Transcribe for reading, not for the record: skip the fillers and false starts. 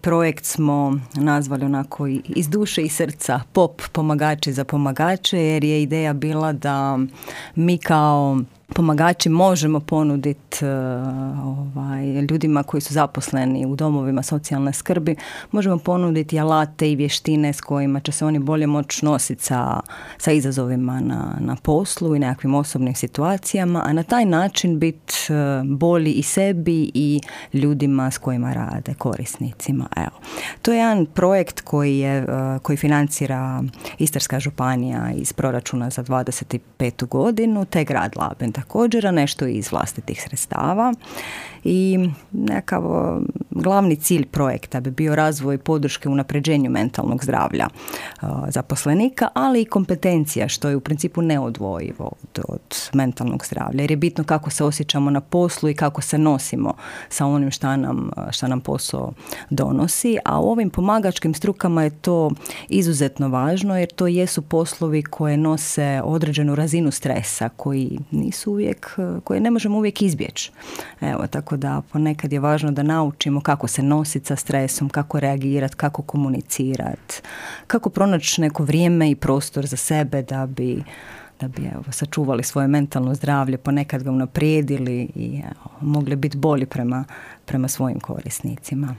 projekt smo nazvali onako iz duše i srca POP, pomagači za pomagače, jer je ideja bila da mi kao pomagači možemo ponuditi ljudima koji su zaposleni u domovima socijalne skrbi, možemo ponuditi alate i vještine s kojima će se oni bolje moći nositi sa izazovima na poslu i nekakvim osobnim situacijama, a na taj način biti bolji i sebi i ljudima s kojima rade, korisnicima. Evo. To je jedan projekt koji financira Istarska županija iz proračuna za 25. godinu, te grad Labin također, a nešto iz vlastitih sredstava. I nekakav glavni cilj projekta bi bio razvoj podrške unapređenju mentalnog zdravlja zaposlenika, ali i kompetencija, što je u principu neodvojivo od mentalnog zdravlja, jer je bitno kako se osjećamo na poslu i kako se nosimo sa onim šta nam posao donosi, a u ovim pomagačkim strukama je to izuzetno važno, jer to jesu poslovi koje nose određenu razinu stresa, koji koje ne možemo uvijek izbjeći. Evo, tako da ponekad je važno da naučimo kako se nositi sa stresom, kako reagirati, kako komunicirati, kako pronaći neko vrijeme i prostor za sebe da bi sačuvali svoje mentalno zdravlje, ponekad ga unaprijedili i mogli biti bolji prema svojim korisnicima.